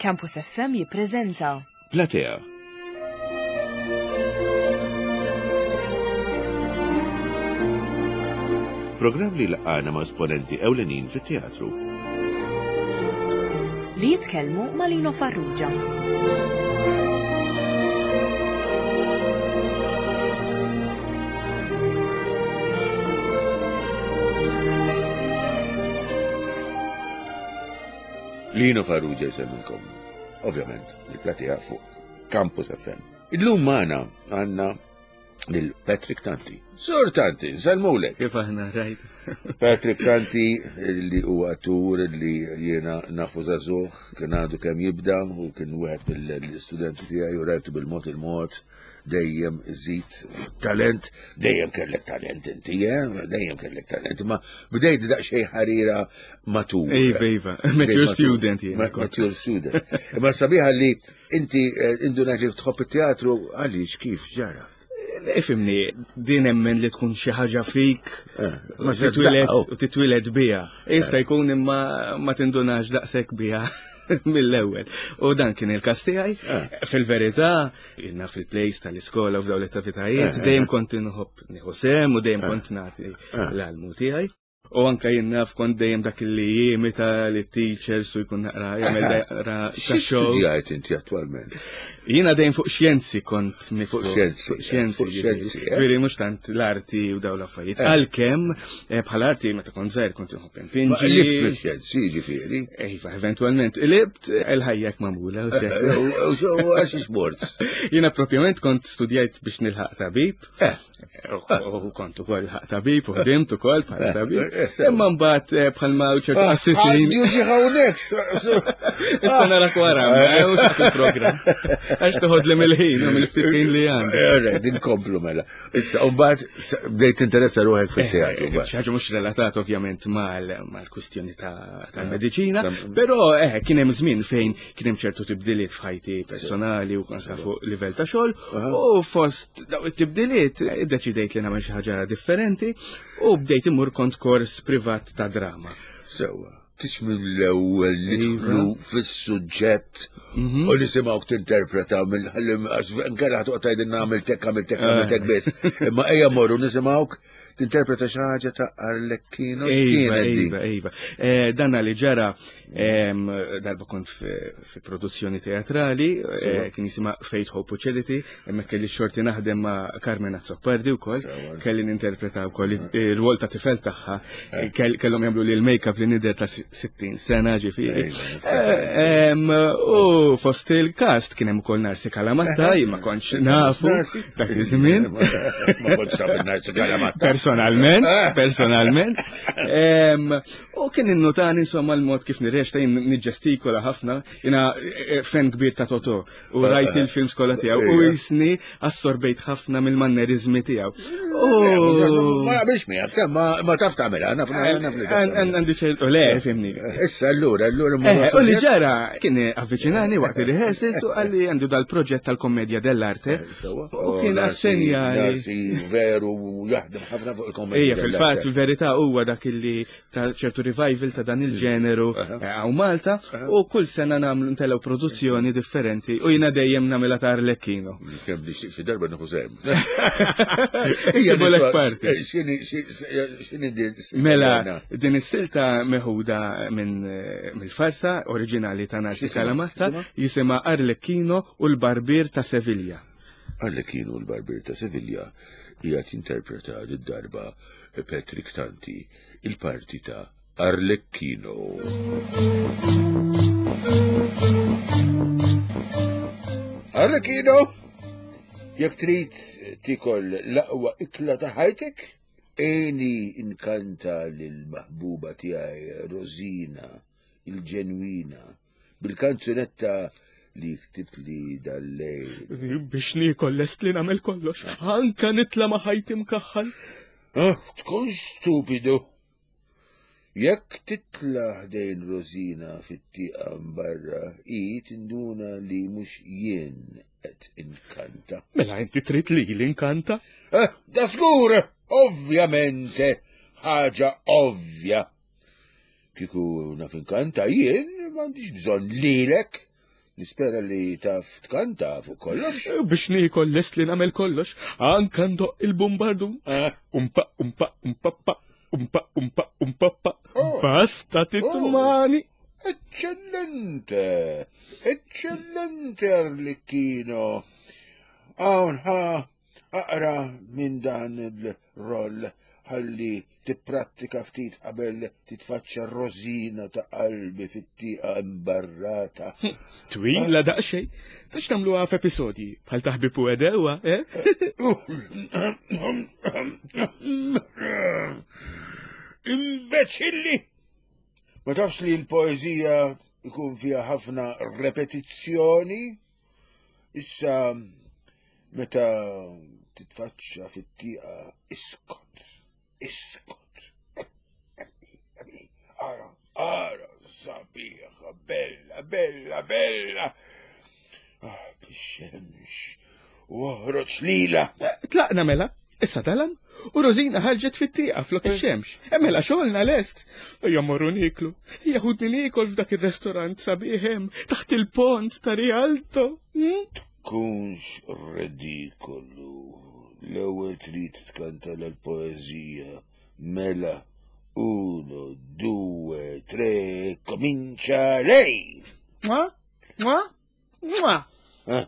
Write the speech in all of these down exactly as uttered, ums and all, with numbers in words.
Campus F M jippreżenta Platea. Programm li laqana ma' esponenti ewlenin fit-teatru. Li jitkellmu ma' Lino Farrugia. Lino Farrugia jsemmilkom. Ovvjament, il-Platea fuq Campus F M. Illum magħna għandna lil Patrick Tanti. Sur Tanti, nsellmulek. Kif aħna, rajt? Patrick Tanti, li huwa attur li jiena nafu żagħżugħ, kien għadu kemm jibda u kien wieħed mill-istudenti tiegħi u rajtu bil-mod il-mod dejjem iżid talent, dejjem kellek talent inti, eh? Dejjem kellek talent, ma bdejt daqsxejn ħarira matur. Iva, iva, mature student jiena. Ma- Mature student. Imma sabiħa li inti eh, indunajt li tħobb it-teatru, għaliex, kif ġara? Ifhimni, din emmen li tkun xi ħaġa fik Eh, u ma titwieled oh. u titwieled biha. Jista' jkun imma ma tindunax daqshekk biha mill-ewwel. U dan kien il-każ tiegħi. Eh. Fil-verità, jiena fil-plays tal-iskola u f'dawn l-attivitajiet Eh, eh, dejjem kont inħobb nieħu sehem u dejjem kont nagħti Eh. l-almu tiegħi. U anka jien naf kont dejjem dak li jimita li teachers u jkun naqra jagħmel naqra Xi ta' show. studjajt inti attualment? Jiena dejjem fuq xjenzi kont miftuħ. Fuq xjenzi, Fuq xjenzi. fuq xjenzi, eh. Ġifieri mhux tant l-arti u dawn l-affarijiet. Eh. Għalkemm eh, bħala arti meta kont żgħir kont inħobb Ma inpinġi. Libt xjenzi, ġifieri. Iva, eventualment libt il-ħajja magħmula u xek. U għax sports. Jiena propjament kont studjajt biex nilħaq tabib. Eh. U kont ukoll ħaq tabib u ħdimt ukoll bħala tabib. eh, sewa. Imma mbagħad eh, bħalma ċertu qassisin. Għadju ġi hawnhekk. Issa narak wara, ma u il-programm. Għax toħod li mill-ħin u mill-ftit ħin li għandi. Alright, inkomplu mela. Issa, u mbagħad bdejt interessa ruħek fit-teatru. mbagħad. Xi ħaġa mhux relatat ovvjament mal-kwistjoni tal-mediċina, però eh kien hemm żmien fejn kien hemm ċertu tibdiliet f'ħajti personali u anke fuq livell ta' xogħol u fost daw it-tibdiliet eh, iddeċidejt li nagħmel xi ħaġa differenti u bdejt imur kont kors privat ta' drama. Sewa. Tix mill-ewwel nidħlu fis-suġġett Mhm. u nisimgħuk tinterpreta mill għax nkella ħa toqgħod tgħidilna għamil hekk, għamil hekk, għamil hekk biss. Imma ejja morru nisimgħuk tinterpreta xi ħaġa ta' Arlecchino. Iva, X'kienet din? iva, iva. Eh, Danna li ġara em, darba kont fi fi produzzjoni teatrali, eh, kien jisimha Faith, Hope u Charity, hemmhekk kelli xorti naħdem ma' Carmen Azzopardi wkoll, Sewa. kelli ninterpreta wkoll ir-rwol ta' tifel tagħha, kell- kellhom jagħmlu li l-make-up li nidher ta' sittin sena ġifieri. Iva, Eh, em, U fost il-cast kien hemm ukoll Narsi Kalamatta, jien ma kontx nafu Narsi? dak iż-żmien. Ma kontx taf il-Narsi Kalamatta. Personalment, Eh. personalment. Em, U kien innotani insomma l-mod kif nirreċta, jien niġġestikola ħafna, jiena eh, fan kbir ta' Toto u rajt il-films kollha tiegħu u Ija. jisni assorbejt ħafna mill-mannerizmi tiegħu. Ma naqbilx miegħek, ma ma taf tagħmilha, naf naf li taf tagħmilha. Għandi ċertu, le, fhimni. Issa allura, allura Eh, U li ġara kien avviċinani waqt il-rehearsals u qalli għandu dal-proġett tal-Komedja dell'Arte Sewa. u kien assenjali. Narsi veru jaħdem ħafna fuq il-komedja. Ija, fil-fatt, fil-verità huwa dak illi ta' ċertu revival ta' dan il-ġeneru hawn Malta u kull sena nagħmlu ntellgħu produzzjoni differenti u jiena dejjem nagħmilha ta' Arlecchino. Kemm li xi darba nieħu sehem. Issibulek parti. X'inhi x'inhi din? Mela, din is-silta meħuda minn eh, mill-farsa oriġinali ta' Narsi X'jisimha? Calamatta, X'jisimha? jisimha Arlecchino u l-Barbier ta' Sevilla. Arlecchino l-Barbier ta' Sevilla qiegħed jinterpreta darba Patrick Tanti il-parti ta' Arlecchino. Arlecchino, jekk trid tikol l-aqwa ikla ta' ħajtek, għinni inkanta lil-maħbuba tiegħi Rosina, il-ġenwina, bil-kanzunetta li ktibt li dal-lejl. Biex niekol lest li nagħmel kollox, anka nitla ma' ħajti mkaħħal. Ah, tkunx stupidu. Jekk titla ħdejn Rosina fit-tieqa barra, i tinduna li mhux jien qed inkanta. Mela inti trid li l-inkanta? Eh, da żgur, ovvjamente, ħaġa ovvja. Kieku naf inkanta jien, m'għandix bżonn lilek. Nispera li taf tkanta fuq kollox. Biex niekol lest li nagħmel kollox, anka ndoqq il-bombardun. Eh? Umpa, umpa, umpappa, umpa, umpa, umpappa. Oh. Basta titmani. Eccellente! Eccellente, Arlecchino! Hawn ħa aqra minn dan il-roll ħalli tipprattika ftit qabel titfaċċa r-Rosina ta' qalbi fit-tieqa imbarrata. Twila daqsxejn. Tix tagħmluha f'episodji bħal ta' Ħbieb u Għedewwa, eh? Imbeċilli! Ma tafx li l-poezija ikun fiha ħafna repetizzjoni? Issa meta titfaċċa fit-tieqa iskot, iskot. Ara, ara, sabiħa, bella, bella, bella. Ah, bix-xemx, u oħroġ lila. Tlaqna mela, issa dalam, u Rosina ħarġet fit-tieqa flok ix-xemx. E mela xogħolna lest. Ejja morru nieklu. Ejja ħudni niekol f'dak ir-restorant sabiħ hemm taħt il-pont ta' Rialto. Hmm? Tkunx redikolu. L-ewwel trid tkanta l-poeżija. Mela, uno, due, tre, comincia lei! Mwa, mwa, mwa. Eh,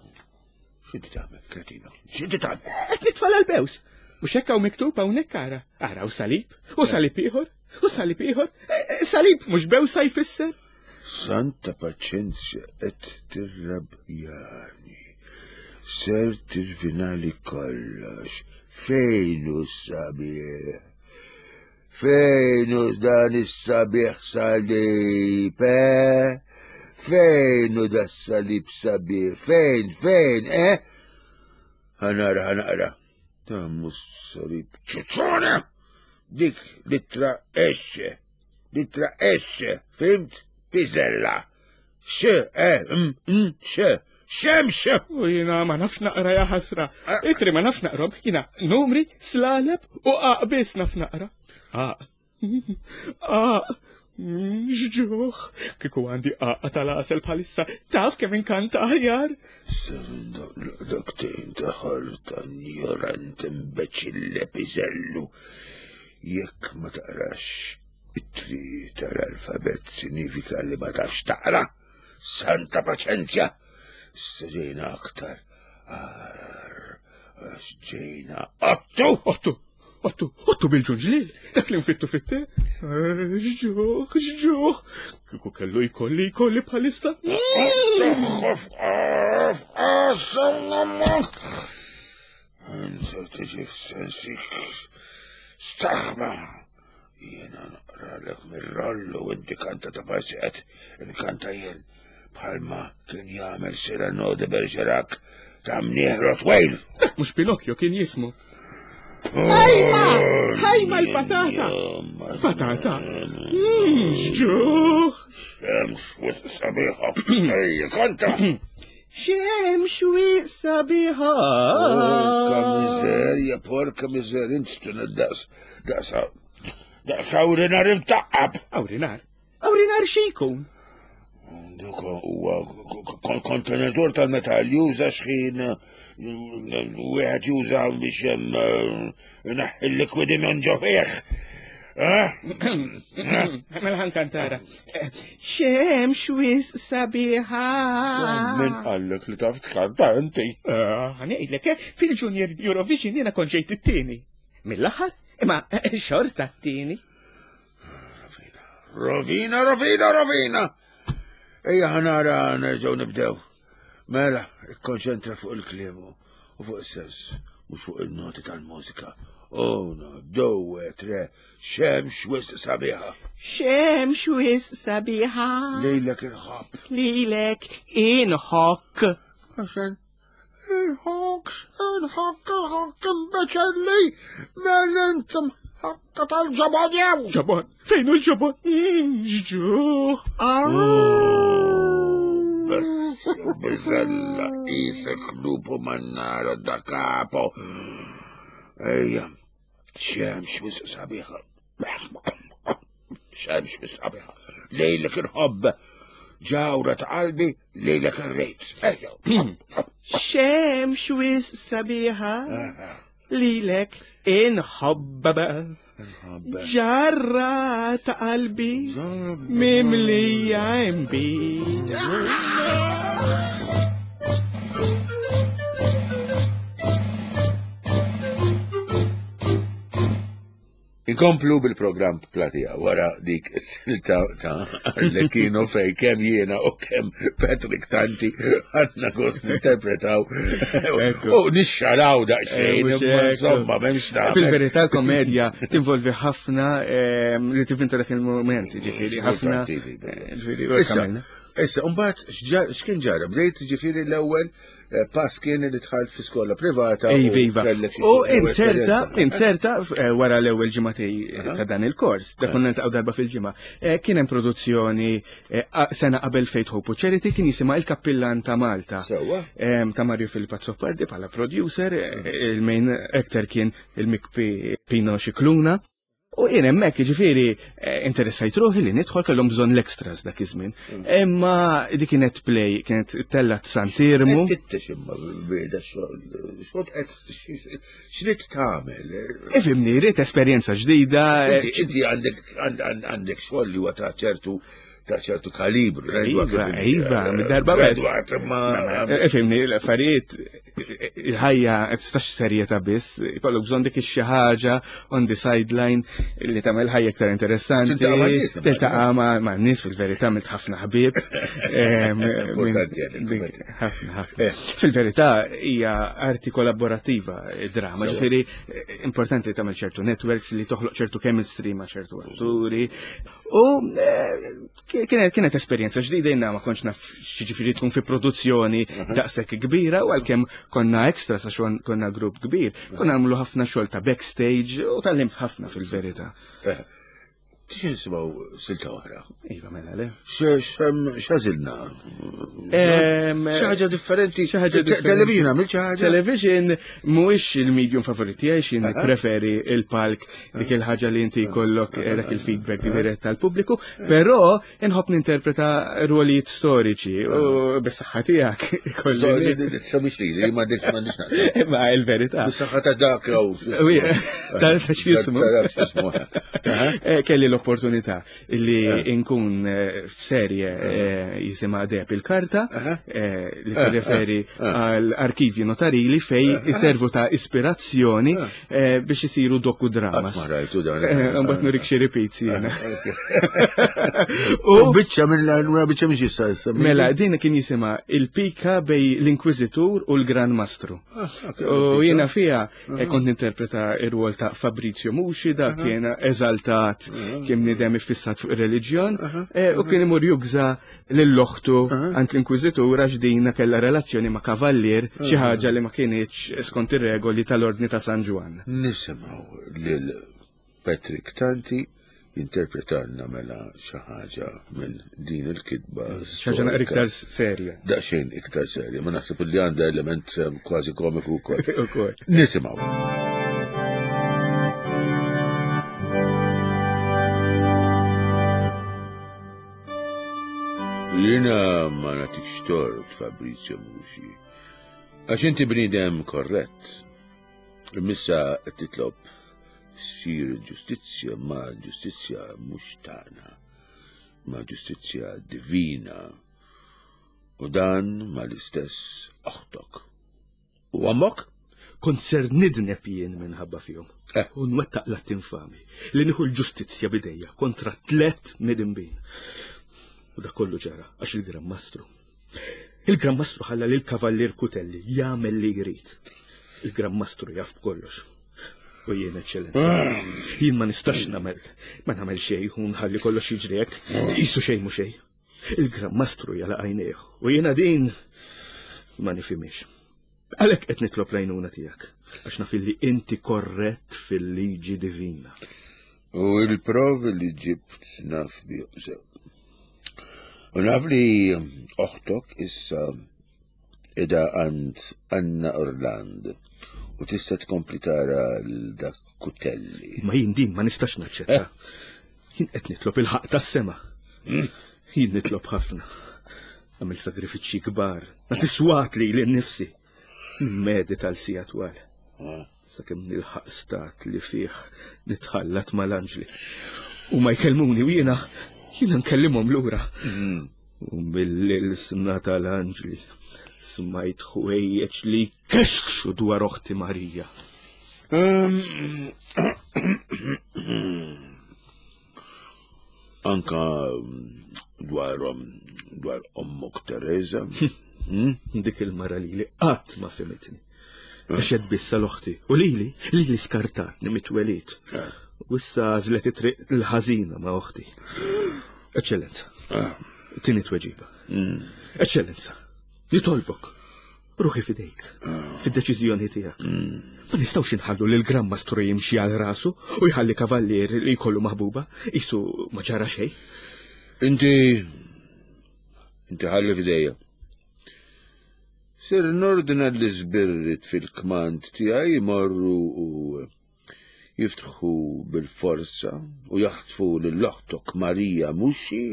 X'inti tagħmel, kretino? X'inti tagħmel? Qed nitfal għall-bews. Mhux hekk hawn miktub hawnhekk ara. Ara u salib, u salib ieħor, u salib ieħor. E, e, Salib mhux bewsa jfisser. Santa paċenzja qed tirrabjani. Ser tirvinali kollox. Fejn hu s-sabiħ? Fejn hu dan is-sabiħ salib, eh? Fejn hu da salib sabiħ? Fejn, fejn, eh? Ħanara, ħanaqra. Dan mhux salib ċuċuna! Dik litra S, litra S, fimt? Piżella. X, E, M, M, X, xemx! U jiena ma nafx naqra ja ħasra. Itri ma nafx naqrom, jiena numri, slaleb u qaq biss naf naqra. Qaq. Qaq. X'ġuħ. Kieku għandi qaqqa tal-għasel bħalissa, taf kemm inkanta aħjar. Daktejn ta' ħarta ignorant imbeċille piżellu. Jekk ma taqrax it-tri tal-alfabet sinifika li ma tafx taqra. Santa paċenzja! Issa ġejna aktar. Ar, għax ġejna ottu! Ottu, ottu, ottu bil-ġunġlil, dak li nfittu fitte. X'ġuħ, x'ġuħ. Kieku kellu jkolli jkolli bħalissa. Insa tiġi f'sensik. Staħba! Jiena naqralek mir-rollu u inti kanta ta' parsi qed inkanta jien bħalma kien jagħmel Cyrano de Bergerac ta' mnieħ Rottweil. Dak mhux Pinocchio kien jismu. Ħajma! Ħajma l-patata! Patata? Mm, X'ġuħ! Xemx wisq sabiħa. Ejja, kanta! Xemx wisq sabiħa! Porka miżerja, porka miżerja, int stuna daqs, daqs, daqs awrinar imtaqqab. Awrinar? Awrinar xi jkun? Dak huwa kontenatur tal-metall juża xħin wieħed juża biex inaħħi l-likwidi minn ġo fih. Mela ħankantara. Xemx wisq sabiħa! Min qallek li taf tkanta inti? Ħa ngħidlek, eh, fil-Junior Eurovision jiena kont ġejt it-tieni. Mill-aħħar, imma xorta t-tieni. Rovina, rovina, rovina! Ejja ħanara nerġgħu nibdew. Mela, ikkonċentra fuq il-kliem u fuq is-sens, mhux fuq il-noti tal-mużika. Uno, due, tre, xemx wisq sabiħa. Xemx wisq sabiħa. Lejlek inħobb. Lilek inħokk. Għaxen, inħokk, inħokk, inħokk, imbeċelli, mela intom ħakka tal-ġobon jew. Ġobon, fejn hu l-ġobon? Mm, X'ġuħ. Bess, biżella, isek lupu mannara da capo. Ejja, xemx wisq sabiħa. Xemx wisq sabiħa. Lejlek inħobb. Ġawra ta' qalbi lejlek irrid. Ejja. Xemx wis sabiħa lilek inħobba ġarra ta' qalbi mimlija imbid. Inkomplu bil-programm Platea wara dik is-silta ta' Arlecchino fej kemm jiena u kemm Patrick Tanti għandna gost ninterpretaw u nixxaraw daqsxejn, imma insomma m'hemmx tagħmel. Fil-verità l-komedja tinvolvi ħafna li tivvinta dak il-mument, ġifieri ħafna. Issa, issa, mbagħad x'kien ġara? Bdejt ġifieri l-ewwel pass kien li dħalt fi skola privata. Iva, iva. U inserta, inserta wara l-ewwel ġimgħatej ta' dan il-kors, da konna niltaqgħu darba fil-ġimgħa. Kien hemm produzzjoni sena qabel Faith Hope u Charity kien jisimha Il-Kappillan ta' Malta. Sewwa. Ta' Mario Filippo Azzopardi bħala producer, il-main actor kien il-Mikpi Pino Scicluna. U jien hemmhekk jiġifieri interessajt ruħi li nidħol, kellhom bżonn l-extras dak iż-żmien. Imma dik kienet play, kienet tellat Sant'Irmu. Fittex imma beda xogħol, xogħol qed x'rid tagħmel? Ifhimni, rrid esperjenza ġdida. Inti għandek xogħol li huwa ta' ċertu ta' ċertu kalibru. Iva, iva, mid-darba Ifhimni, l-affarijiet, il-ħajja tistax serjetà biss, ikollok bżonn dik xi ħaġa on the sideline li tagħmel ħajja iktar interessanti. Tiltaqa' ma' nies fil-verità, għamilt ħafna ħbieb. Ħafna, ħafna. Fil-verità hija arti kollaborattiva id-drama, ġifieri importanti li tagħmel ċertu networks li toħloq ċertu chemistry ma' ċertu atturi. U kienet kienet esperjenza ġdida, jiena ma kontx naf x'jiġifieri tkun fi produzzjoni daqshekk kbira, u għalkemm konna extra sa xogħol konna grupp kbir, konna nagħmlu ħafna xogħol ta' backstage u tgħallimt ħafna fil-verità. Tix nisimgħu silta oħra? Iva, mela le. X'għażilna? Xi ħaġa differenti. Xi ħaġa differenti. Television għamilt xi ħaġa? Television mhuwiex il-medium favorit tiegħi, x'jien preferi il-palk, dik il-ħaġa li inti jkollok dak il-feedback dirett tal-pubbliku, però inħobb ninterpreta rwolijiet storiċi u bis-saħħa tiegħek ikolli. Sabiex li, li ma dik m'għandix naqsam. Imma il-verità. Bis-saħħa ta' dak jew. Ta' x'jismu. Ta' dak x'jismu. Kelli l-opportunità li nkun f'serje jisimha Deheb il-Karta, li tirreferi għal arkivji notarili fej iservu ta' ispirazzjoni biex isiru dokudramas. Ma rajtu dan. Mbagħad nurik xi repeats jiena. U biċċa minn biċċa minn xi issa. Mela, din kien jisimha Il-Pika bej l-Inkwiżitur u l-Gran Mastru. U jiena fiha kont ninterpreta r-rwol ta' Fabrizio Muxi, dak kien eżaltat, kien bniedem iffissat fuq ir-reliġjon, u kien imur jugża lill-oħtu għand l-Inkwiżitur għax dina kellha relazzjoni ma' kavallier, xi ħaġa li ma kinitx skont ir-regoli tal-Ordni ta' San Ġwann. Nisimgħu lil Patrick Tanti jinterpretanna mela xi ħaġa minn din il-kitba. Xi ħaġa naqra iktar serja. Daqsxejn iktar serja, ma naħseb li għandha element kważi komiku wkoll. Ukoll. Nisimgħu. Jiena ma nagħtikx tort, Fabrizio Muxi, għax inti bniedem korrett. Imissa qed titlob ssir il-ġustizzja, ma ġustizzja mhux tagħna, ma ġustizzja divina, u dan ma l-istess oħtok. U ommok? Kont ser nidneb jien minħabba fihom. U nwettaq l-att infami li nieħu l-ġustizzja bidejja kontra tliet midinbin. U dak kollu ġara għax il-Gran Mastru. Il-Gran Mastru ħalla lil Kavallier Cutelli jagħmel li jrid. Il-Gran Mastru jaf b'kollox. U jien, eċċellenza, jien ma nistax nagħmel, ma nagħmel xejn u nħalli kollox jiġri hekk, qisu xejn mhu xejn. Il-Gran Mastru jala għajnejh u jiena din ma nifhimhiex. Għalhekk qed nitlob l-għajnuna tiegħek, għax naf illi inti korrett fil-liġi divina. U l-provi li ġibt naf bihom sew. U naf li oħtok issa qiegħda għand Anna Orland u tista' tkompli tara l-dak Cutelli. Ma jien din ma nistax naċċetta. Jien qed nitlob il-ħaqq tas-sema. Jien nitlob ħafna. Għamil sagrifiċċji kbar, nagħti swat li lil nifsi. Medita l sija twal. Sakemm nilħaq stat li fih nitħallat mal-anġli. U ma jkellmuni u jiena jiena nkellimhom lura. U mill-ilsna tal-anġli smajt ħwejjeġ li kexkxu dwar oħti Marija. Anka dwar dwar ommok Teresa. Dik il-mara li li qatt ma fhimitni. Għaxet bissa l-oħti. U lili, lili skartatni mit-twelid. U issa għażlet it-triq l-ħażina ma' oħti. Eċċellenza, tini tweġiba. Eċċellenza, nitolbok. Ruħi fidejk, fid-deċiżjoni tiegħek. Ma nistgħux inħallu lil Gran Mastru jimxi għal rasu u jħalli kavallier li jkollu maħbuba, qisu ma ġara xejn. Inti inti ħalli fidejja. Sir nordna l-iżbirrit fil-kmand tiegħi jmorru u jiftħu bil-forza u jaħtfu lil oħtok Marija Muxi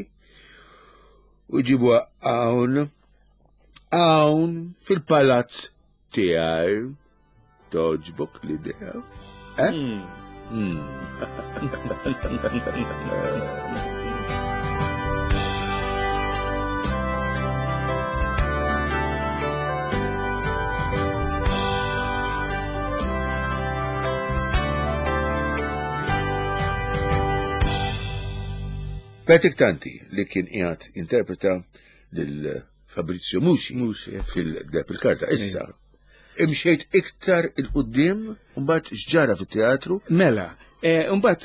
u jġibuha hawn hawn fil-palazz tiegħi. Toġbok l-idea? Eh? Mm. Patrick Tanti li kien qiegħed interpreta lil Fabrizio Muxi, Muxi, fil-Deb il-Karta. Issa, imxejt iktar il-qudiem u mbagħad x'ġara fit-teatru? Mela, mbagħad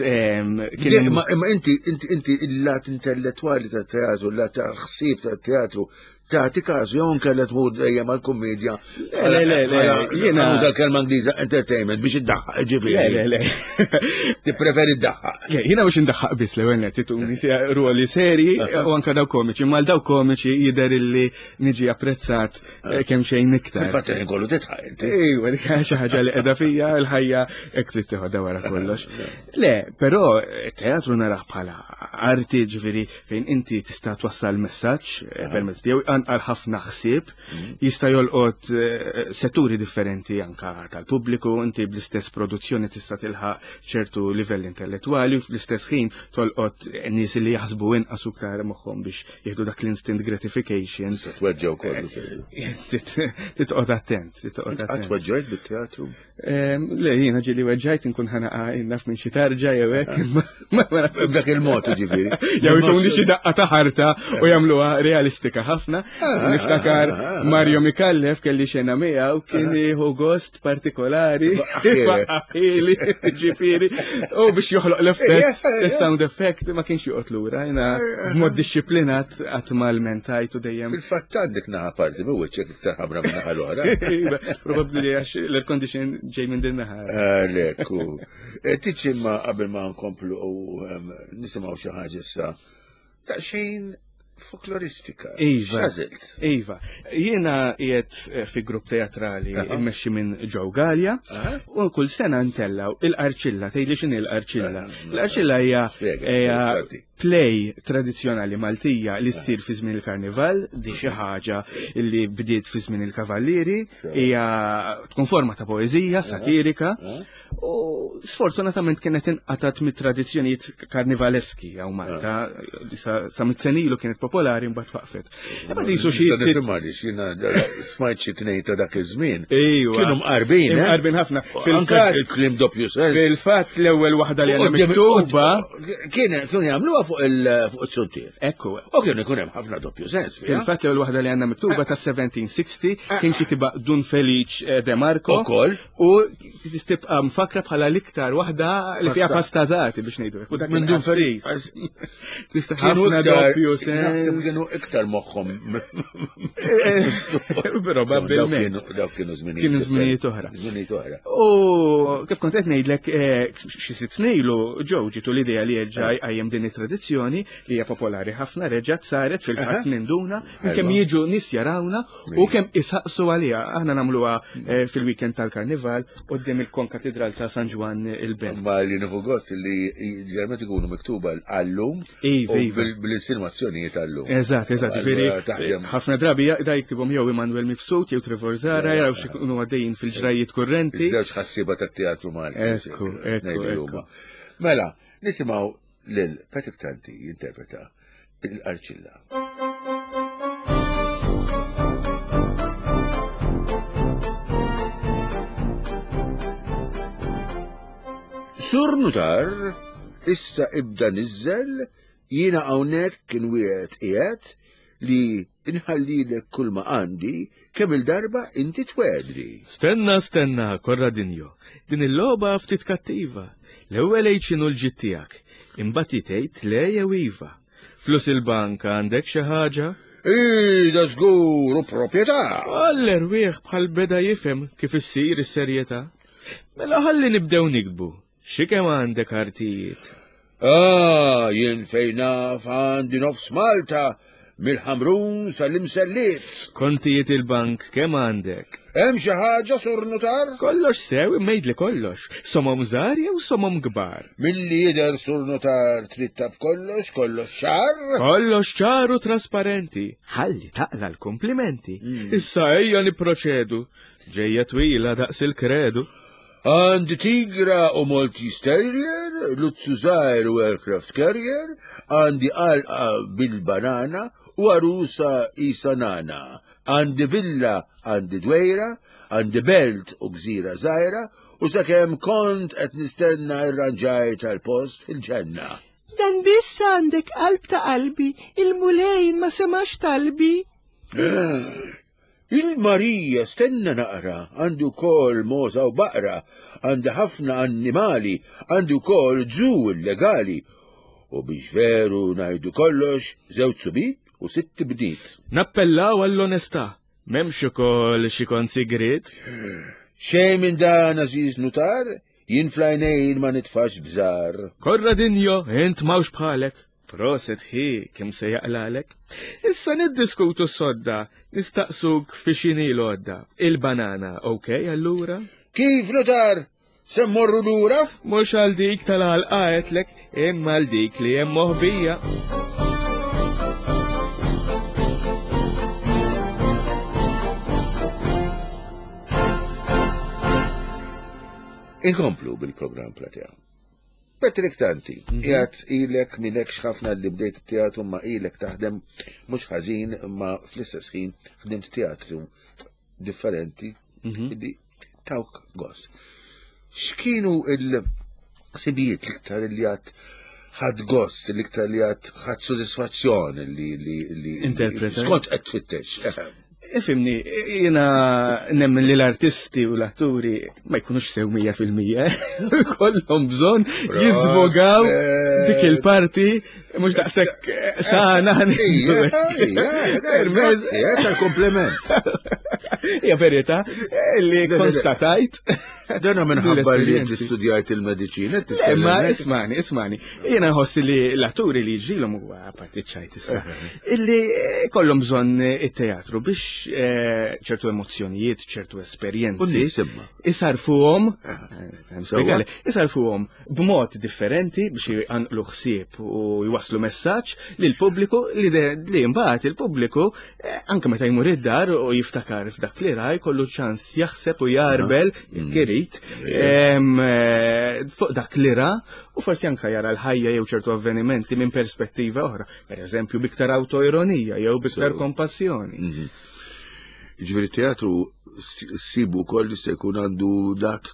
kien Imma inti inti inti il-lat intellettwali tat-teatru, il-lat tal-ħsieb tat-teatru, tagħti każu jew inkella tmur dejjem għall-kummedja. Le, le, le, jiena nuża l-kelma Ingliża entertainment biex iddaħħaq, ġifieri. Le, le, le. Tippreferi ddaħħaq. Le, jiena biex indaħħaq biss l-ewwel nett ituni ruoli seri u anke daw komiċi, mal daw komiċi jidher illi niġi apprezzat kemm xejn iktar. Fil-fatt ħin kollu titħaq inti. Ejwa, dik xi ħaġa li qiegħda fija l-ħajja hekk trid teħodha wara kollox. Le, però teatru narah bħala arti, ġifieri fejn inti tista' twassal messaġġ permezz tiegħu anqal ħafna ħsieb, jista' jolqot setturi differenti anka tal-pubbliku, inti bl-istess produzzjoni tista' tilħaq ċertu livell intellettwali u fl-istess ħin tolqot nies li jaħsbu inqas iktar moħħhom biex jieħdu dak l-instant gratification. Se tweġġew kollu. Titqgħod attent, titqgħod Qatt attent. weġġajt bit-teatru? Le, jiena ġieli weġġajt inkun ħanaqa naf minn xi tarġa jew hekk, ma B'dak il-mod ġifieri. Jew ituni xi daqqa ta' ħarta u jagħmluha realistika ħafna. Niftakar Mario Mikallef kelli xena miegħu kien jieħu gost partikolari. Faqqaħili, ġifieri. U biex joħloq l-effett, is-sound effect ma kienx joqgħod lura, jiena b'mod dixxiplinat qatt ma lmentajt u dejjem. Fil-fatt għandek naħa parti minn wiċċek iktar ħamra minn naħa l-oħra. Probabbli għax l-air condition ġej minn din naħa. Għalek, u tiċi ma qabel ma nkomplu u nisimgħu xi ħaġa issa daqsxejn folkloristika. Iva. X'għażilt? Iva. Jiena qiegħed fi grupp teatrali immexxi minn Joe Gallia u kull sena ntellaw il-Qarċilla, tgħidli x'inhi l-Qarċilla. L-Qarċilla hija play tradizzjonali Maltija li ssir fi żmien il-Karnival, di xi ħaġa li bdiet fi żmien il-Kavallieri, hija tkun forma ta' poeżija satirika u sfortunatament kienet inqatat mit-tradizzjonijiet karnivaleski hawn Malta, sa mit-senilu kienet popolari mbagħad waqfet. Imma qisu xi jiena smajt xi tnejn ta' dak iż-żmien. Ejwa. Kienu mqarbin, eh? Mqarbin ħafna. Fil-fatt il-kliem doppju sens. Fil-fatt l-ewwel waħda li għandna miktuba Kien kienu jagħmluha fuq il-suntier. Ekku. U kienu jkun hemm ħafna doppju sens. Fil-fatt l-ewwel waħda li għandna miktuba ta' seventeen sixty kien kitiba Dun Felice De Marco. Ukoll. U tibqa' mfakra bħala l-iktar waħda li fiha pastażati biex ngħidu hekk. U dak Minn Dun Felice. Tista' ħafna doppju sens. Naħseb kienu iktar moħħhom. Probabbilment. Dawk kienu żminijiet. Kienu żminijiet oħra. Żminijiet oħra. U kif kont qed ngħidlek xi sitt snin ilu Joe ġitu l-idea li jerġa' jqajjem din it-tradizzjoni li hija popolari ħafna, reġgħet saret fil-fatt minn duna, kemm jiġu nies jarawna u kemm isaqsu għaliha. Aħna nagħmluha fil-weekend tal-Karnival quddiem il-Konkatedral ta' San Ġwann il-Belt. Ma li nieħu gost li ġermet ikunu miktuba għallum Iva, u bil-insinuazzjonijiet tal-lum. Eżatt, eżatt, ġifieri ħafna drabi da jiktibhom jew Immanuel Mifsud jew Trevor Zara, jaraw x'ikunu għaddejjin fil-ġrajiet kurrenti. Iż-żewġ ħassiba tat-teatru Malti. Ekku, ekku. Mela, nisimgħu lil Patrick Tanti jinterpreta il-Arċilla. Sur Nutar, issa ibda nizzel, jiena hawnhekk kien wieħed qiegħed li inħallilek kull ma għandi kemm il-darba inti twedri. Stenna, stenna, Corradinho. Din il-logħba ftit kattiva. L-ewwel għid x'inhu l-ġid tiegħek, imbagħad tgħid le jew iva. Flus il-bank għandek xi ħaġa? Ii, da żgur u proprjetà. Għall-erwieħ bħal beda jifhem kif issir is-serjetà. Mela ħalli nibdew nikbu. Xi kemm għandek artijiet? Ah, jien fejn naf għandi nofs Malta, mill-Ħamrun sal-Imselliet. Kontijiet il-bank kemm għandek? Hemm xi ħaġa, Sur Nutar? Kollox sew, immejdli kollox. Somom żgħar jew somom kbar? Milli jidher, Sur Nutar, trid taf kollox, kollox ċar? Kollox ċar u trasparenti. Ħalli taqla l-komplimenti. Issa ejja nipproċedu. Ġejja twila daqs il-kredu. Għandi tigra u Maltese Terrier, luzzu żgħir u aircraft carrier, għandi għalqa bil-banana u għarusa isa nana. Għandi villa, għandi dwejra, għandi belt u gżira żgħira, u sakemm kont qed nistenna irranġaj tal-post fil-ġenna. Dan biss għandek qalb ta' qalbi, il-Mulej ma semax talbi. Il-Marija stenna naqra, għandu kol moza u baqra, għandu ħafna annimali, għandu kol ġu illegali. U biex veru najdu kollox, żewġ subit u sitt bniet. Nappellaw għall-onestà, m'hemmx ukoll xi kont sigriet. Xejn minn dan, Aziz Nutar, jien flajnejn ma nitfax bżar. Corradinho, int mawx bħalek. Proset hi, kim se jaqlalek. Issa niddiskutu s-sodda, nistaqsuk fi xini l-odda. Il-banana, okej, allura? Kif, Nutar? Se mmorru lura? Mhux għal dik tal-għalqa għetlek, imma għal dik li hemm moħbija. Inkomplu bil-programm Platea. Patrick Tanti, jgħat ilek milek xħafna li bdejt teatru ma ilek taħdem mhux ħażin ma fl-istess ħin ħdimt teatru differenti li tawk gost. X'kienu il-ħsibijiet l-iktar li għad ħadd gost, l-iktar li għad ħadd sodisfazzjon li li li Interpreta. Skont qed tfittex. Ifimni, jena nemmen li l-artisti u l-atturi ma jkunux sew mija fil-mija, kollhom bżonn jizvogaw dik il-parti, mhux daqshekk sana. Grazzi, tal-kompliment. Hija verità li konstatajt. Dana minħabba li inti studjajt il-mediċina. Ma ismani, ismani. Jiena nħossi li l-atturi li ġilhom huwa parti ċajt issa. Illi kollhom bżonn it-teatru biex ċertu emozzjonijiet, ċertu esperjenzi. Isarfuhom, isarfuhom b'mod differenti biex jqanqlu ħsieb u jwasslu messaġġ lill-pubbliku li mbagħad il-pubbliku anke meta jmur id-dar u jiftakar f'dak li ra jkollu ċans jaħseb u jarbel jekk irid fuq dak li ra u forsi anke jara l-ħajja jew ċertu avvenimenti minn perspettiva oħra, pereżempju biktar autoironija jew biktar kompassjoni. Ġifieri teatru ssibu wkoll se jkun għandu lat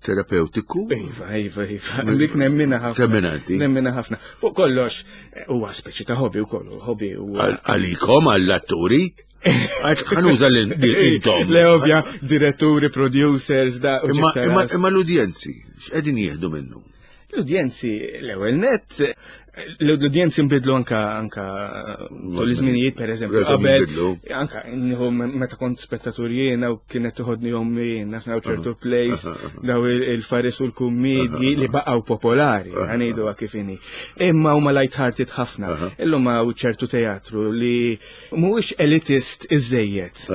terapeutiku. Iva, iva, iva. Dik nemmina ħafna. Temmina inti? Nemmina ħafna. Fuq kollox, huwa speċi ta' hobby wkoll, hobby huwa. Għalikom għall-atturi? Ħanuża l-intom. Le ovvja, diretturi, producers, da. Imma l-udjenzi, x'qegħdin jieħdu minnu? L-udjenzi, l-ewwel nett, l-udjenzi nbidlu anka anka l-iżminijiet per eżempju qabel anka nieħu meta kont spettatur jiena u kienet toħodni ommi jiena f'naw ċertu plays daw il-faris u l-kummedji li baqgħu popolari ngħidu kif inhi. Imma huma light-hearted ħafna. Illum hawn ċertu teatru li mhuwiex elitist iżejjed.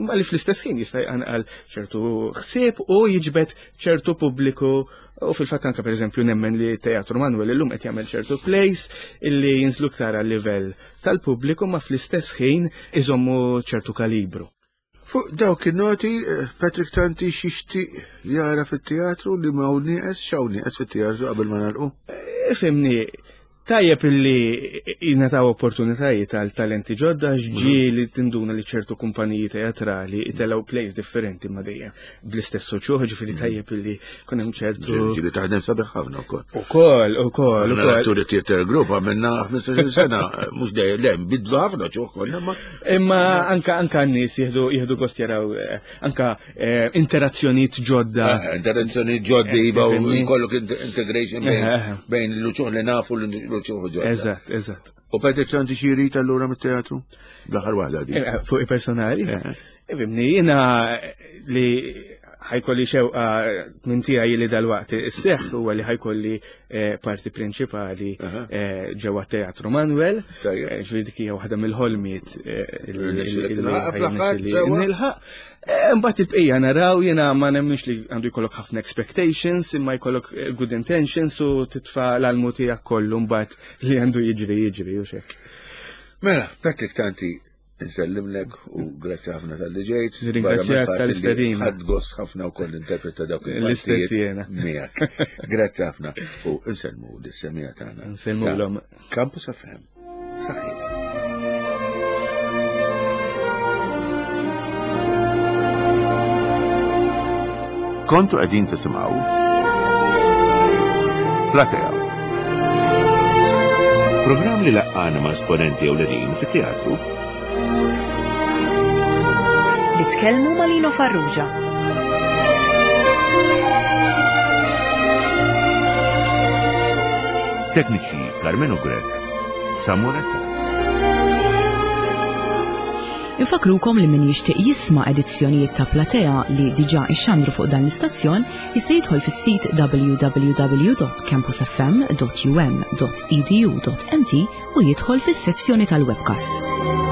ma li fl-istess ħin jista' jqanqal ċertu ħsieb u jiġbed ċertu pubbliku. U fil-fatt anka pereżempju nemmen li Teatru Manuel illum qed jagħmel ċertu plays illi jinżlu iktar għal livell tal-pubbliku ma fl-istess ħin iżommu ċertu kalibru. Fuq dawk in-noti, Patrick Tanti xixtieq jara fit-teatru li ma hawn nieqes, x'hawn nieqes fit-teatru qabel ma nagħlqu? Ifhimni, tajjeb illi jingħataw opportunitajiet għal talenti ġodda, ġieli tinduna li ċertu kumpaniji teatrali jtellgħu plays differenti ma dejjem bl-istess uċuħ, ġifieri tajjeb illi kun hemm ċertu. Ġieli taħdem sabiħ ħafna wkoll. Ukoll, ukoll, ukoll. L-atturi theater group għamilna ħmistax-il sena, mhux dejjem le, nbidlu ħafna ċuħ konna ma. Imma anka anka n-nies jieħdu jieħdu gost jaraw anka interazzjonijiet ġodda. Interazzjonijiet ġodda iva u jkollok integration bejn l-uċuħ li nafu l-uċuħ ġodda. Eżatt, eżatt. U Patrick Tanti xi jrid allura mit-teatru? L-aħħar waħda di. Fuq il-personali? Ifhimni, jiena li ħajkolli xewqa minn tiegħi li dalwaqt isseħħ huwa li ħajkolli parti prinċipali ġewwa Teatru Manuel. Ġifieri dik hija waħda mill-ħolmiet li nilħaq. Mbagħad il-bqija naraw, jiena ma nemminx li għandu jkollok ħafna expectations, imma jkollok good intentions u titfa' l-almu tiegħek kollu mbagħad li għandu jiġri jiġri u xek. Mela, Patrick Tanti, nsellimlek u grazzi ħafna tal-li ġejt. Ringrazzjak tal-istedina. Ħadd gost ħafna wkoll interpreta dawk l-istess jiena. Miegħek. Grazzi ħafna u nsellmu lis-semija tagħna. Nsellmulhom. Campus F M. Saħħit. Kontu qegħdin tisimgħu Platea. Programm li laqqana ma' esponenti ewlenin fit-teatru. Li tkellmu ma' Lino Farrugia. Tekniċi Carmenu Grech, Samuel. Infakrukom li min jixtieq jisma' edizzjonijiet ta' Platea li diġà ixxandru fuq dan l-istazzjon jista' jidħol fis-sit w w w dot campus f m dot u m dot e d u dot m t u jidħol fis-sezzjoni tal-webcast.